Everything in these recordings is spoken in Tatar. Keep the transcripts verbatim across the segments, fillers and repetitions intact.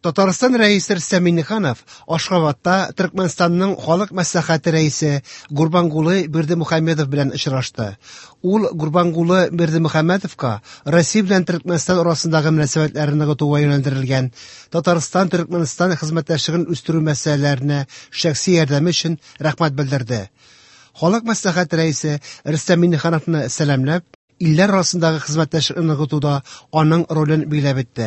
Татарстан Рәисе Рөстәм Миңнеханов Ашхабадта Төркмәнстанның Халык Мәслихәте рәисе Гурбангулы Бердымөхәммедов белән очрашты. Ул Гурбангулы Бердымөхәммедовка Россия белән Төркмәнстан арасындагы мөнәсәбәтләрне ныгытуга юнәлдерелгән Татарстан-Төркмәнстан хезмәттәшлеген үстерү мәсьәләләренә шәхси ярдәме өчен рәхмәт белдерде. Халык Мәслихәте рәисе Рөстәм Миңнехановны сәламләп, илләр арасындагы хезмәттәшлекне ныгытуда аның ролен билгеләп үтте.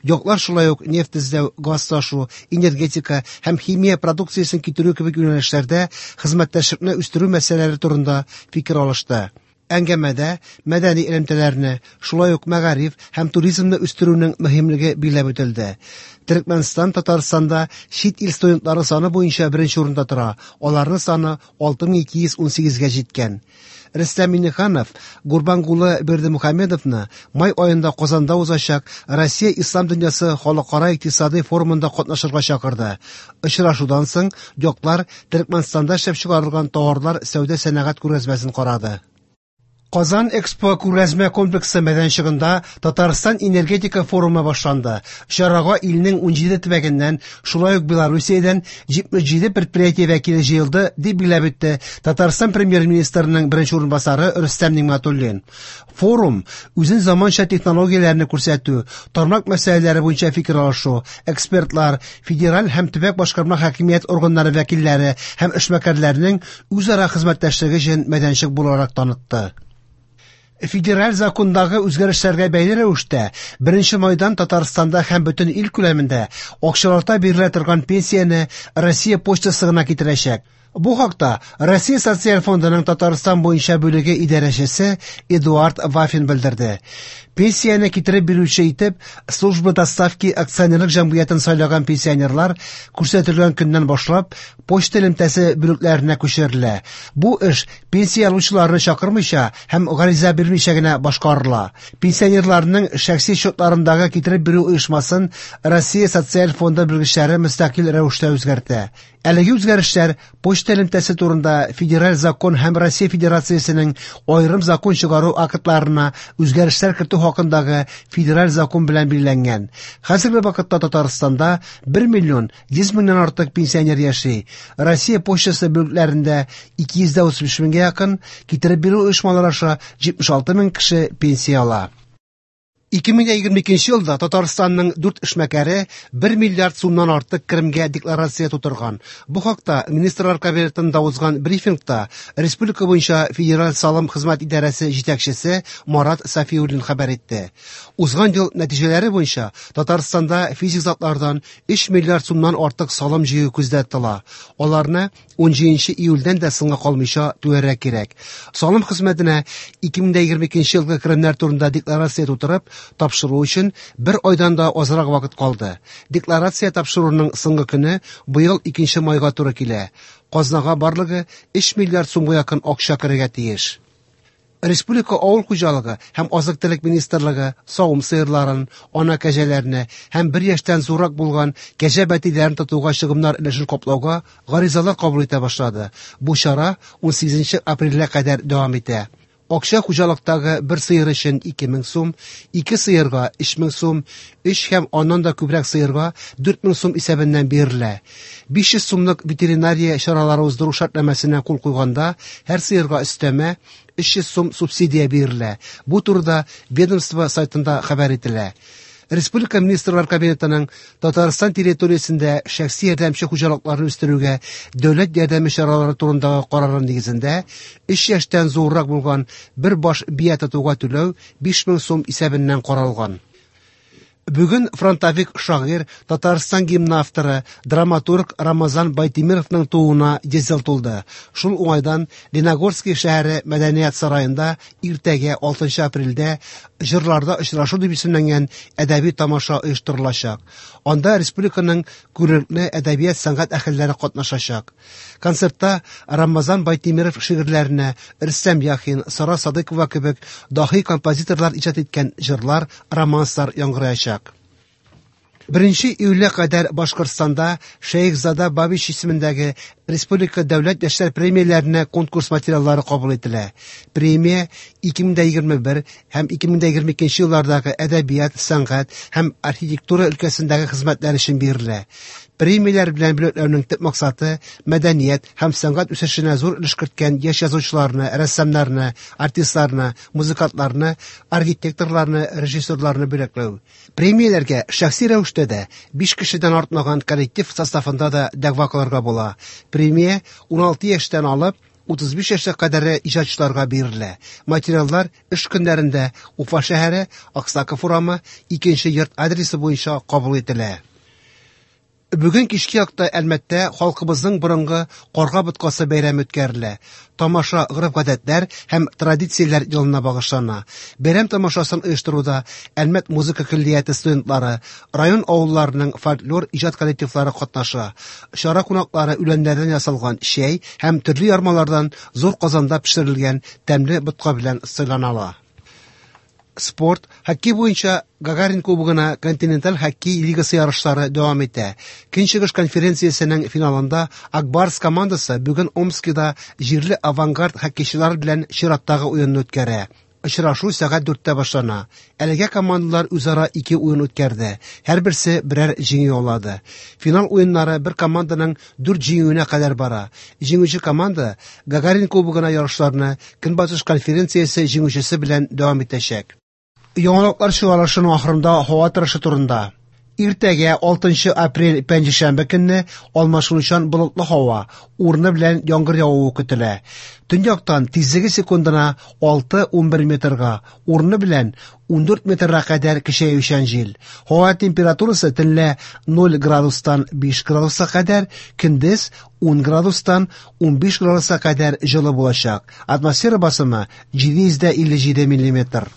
Яклар шулай ук нефть эзләү, газ ташу, энергетика һәм химия продукциясен китерү кебек юнәлешләрдә хезмәттәшлекне үстерү мәсьәләләре турында фикер алышты. Әңгәмәдә мәдәни элемтәләрне, шулай ук мәгариф һәм туризмны үстерүнең мөһимлеге билгеләп үтелде. Төркмәнстан Татарстанда чит ил студентлары саны буенча беренче урында тора. Аларның саны алты мең ике йөз унсигезгә җиткән. Рөстәм Миңнеханов Гурбангулы Бердымөхәммедовны май аенда Казанда узачак Россия Ислам дөньясы халыкара икътисади форумында катнашырга чакырды. Очрашудан соң яклар Төркмәнстанда эшләп чыгарылган товарлар сәүдә-сәнәгать күргәзмәсен карады. Казан Экспо күргәзмә комплексы мәйданчыгында Татарстан энергетика форумы башланды. Чарага илнең унҗиде төбәгеннән, шулай ук Белоруссиядән җитмеш җиде предприятие вәкиле җыелды, дип билгеләп үтте Татарстан премьер-министрының беренче урынбасары Рөстәм Нигъмәтуллин. Форум үзен заманча технологияләрне күрсәтү, тармак мәсьәләләре буенча фикер алышу, экспертлар, федераль һәм төбәк башкарма хакимият органнары вәкилләре һәм эшмәкәрләрнең үзара хезмәттәшлеге өчен мәйданчык буларак танытты. Федераль закондагы үзгәрешләргә бәйле рәвештә беренче майдан Татарстанда һәм бөтен ил күләмендә акчалата бирелә торган пенсияне Россия почтасы гына китерәчәк. Бу хакта Россия Социаль фондының Татарстан буенча бүлеге идарәчесе Эдуард Вафин белдерде. Пенсияне китереп бирүче итеп Служба доставки акционерлык җәмгыятен сайлаган пенсионерлар күрсәтелгән көннән башлап почта элемтәсе бүлекләренә күчерелә. Бу эш пенсия алучыларны чакырмыйча һәм гариза бирмичә генә башкарыла. Пенсионерларның шәхси счетларындагы китереп бирү оешмасын Россия Социаль фонды белгечләре мөстәкыйль рәвештә үзгәртә. Әлеге үзгәрешләр почта элемтәсе турында федераль закон һәм Россия Федерациясенең аерым закон чыгару актларына үзгәрешләр кертү хакындагы федераль закон белән билгеләнгән. Хәзерге вакытта Татарстанда бер миллион йөз меңнән артык пенсионер яши. Россия почтасы бүлекләрендә ике йөз дә утыз биш меңгә якын, китереп бирү оешмалары аша җитмеш алты мең кеше пенсия ала. Ике мең егерме икенче елда Татарстанның дүрт эшмәкәре бер миллиард сумнан артык керемгә декларация тутырган. Бу хакта Министрлар Кабинетында узган брифингта республика буенча Федераль салым хезмәт идарәсе җитәкчесе Марат Сафиуллин хәбәр итте. Узган ел нәтиҗәләре буенча Татарстанда физик затлардан өч миллиард сумнан артык салым җыю күздә тотыла. Аларны унҗиденче июльдән дә соңга калмыйча түләргә кирәк. Салым хезмәтенә ике мең егерме икенче елгы керемнәр турында декларация тутырып тапшыру өчен бер айдан да азрак вакыт калды. Декларация тапшыруның соңгы көне быел икенче майга туры килә. Казнага барлыгы өч миллиард сумга якын акча керергә тиеш. Республика авыл хуҗалыгы һәм азык-төлек министрлыгы савым сыерларын, ана кәҗәләрне һәм бер яшьтән зуррак булган кәҗә бәтиләрен тотуга чыгымнар өлешен каплауга гаризалар кабул итә башлады. Бу чара унсигезенче апрельгә кадәр дәвам итә. Акча хуҗалыктагы бер сыер өчен ике мең сум, ике сыерга өч мең сум, өч һәм аннан да күбрәк сыерга дүрт мең сум исәбеннән бирелә. Биш йөз сумлык ветеринария чаралары уздыру шартнамәсенә кул куйганда һәр сыерга өстәмә өч йөз сум субсидия бирелә. Бу турыда ведомство сайтында хәбәр ителә. Республика Министрлар Кабинетының Татарстан территориясендә шәхси ярдәмче хуҗалыкларны үстерүгә дәүләт ярдәме чаралары турындагы карары нигезендә өч яшьтән зуррак булган бер баш бия тотуга түләү биш мең сум исәбеннән каралган. Бүген фронтовик шагыйрь, Татарстан гимны авторы, драматург Рамазан Байтимировның тууына йөз ел тулды. Шул уңайдан Леногорский шәһәре Мәдәният сараенда иртәгә алтынчы апрельдә җырларда очрашу дип исемләнгән әдәби тамаша оештырылачак. Анда республиканың күренекле әдәбият сәнгать әһелләре катнашачак. Концертта Рамазан Байтимиров шигырьләренә Рөстәм Яхин, Сара Садыкова кебек даһи композиторлар иҗат иткән җырлар, романслар яңгыраячак. Беренче июльгә кадәр Башкортстанда Шәехзада Бабич исемендәге Республика дәүләт яшьләр премияләренә конкурс материаллары кабул ителә. Премия ике мең егерме бер һәм ике мең егерме икенче еллардагы әдәбият, сәнгать һәм архитектура өлкәсендәге хезмәтләр өчен бирелә. Премияләр белән бүләкләүнең төп максаты мәдәният һәм сәнгать үсешенә зур өлеш керткән яшь язучыларны, рәссамнарны, артистларны, музыкантларны, архитекторларны, режиссерларны бүләкләү. Премияләргә шәхси рәвештә дә биш кешедән артмаган коллектив составында да дәгъва кылырга була. Премия ун алты яшьтән алып утыз биш яшькә кадәр иҗатчыларга бирелә. Материаллар эш көннәрендә Уфа шәһәре, Аксаков урамы, икенче йорт адресы буенча кабул ителә. Бүген кичке якта Әлмәттә халкыбызның борынгы Карга боткасы бәйрәме үткәрелә. Тамаша гореф-гадәтләр һәм традицияләр елына багышлана. Бәйрәм тамашасын оештыруда Әлмәт музыка көллияте студентлары, район авылларының фольклор иҗат коллективлары катнаша. Чара кунаклары үләннәрдән ясалган чәй һәм төрле ярмалардан зур казанда пешерелгән тәмле ботка белән сыйланалар. Спорт, хоккей буенча Гагарин кубогына континенталь хоккей лигасы ярышлары дәвам итә. Көнчыгыш конференциясенең финалында Акбарс командасы бүген Омскида җирле авангард хоккейчылар белән чираттагы уенны үткәрә. Очрашу сәгать дүрттә башлана. Әлегә командалар үзара ике уен үткәрде. Һәрберсе берәр җиңү яулады. Финал уеннары бер команданың дүрт җиңүенә кадәр бара. Җиңүче команда Гагарин кубогына ярышларны Көнбатыш конференциясе җиңүчесе белән дәвам итәчәк. Яңалыклар чыгарылышының ахырында һава торышы турында. Иртәгә алтынчы апрель пәнҗешәмбе көнне алмашынучан болытлы һава, урыны белән яңгыр явуы көтелә. Төньяктан тизлеге секундына алты ун бер метрга, урыны белән ун дүрт метрга кадәр көчәючән җил. Һава температурасы төнлә ноль градустан биш градуска кадәр, көндез ун градустан ун биш градуска кадәр җылы булачак. Атмосфера басымы җиде йөз дә илле җиде миллиметр.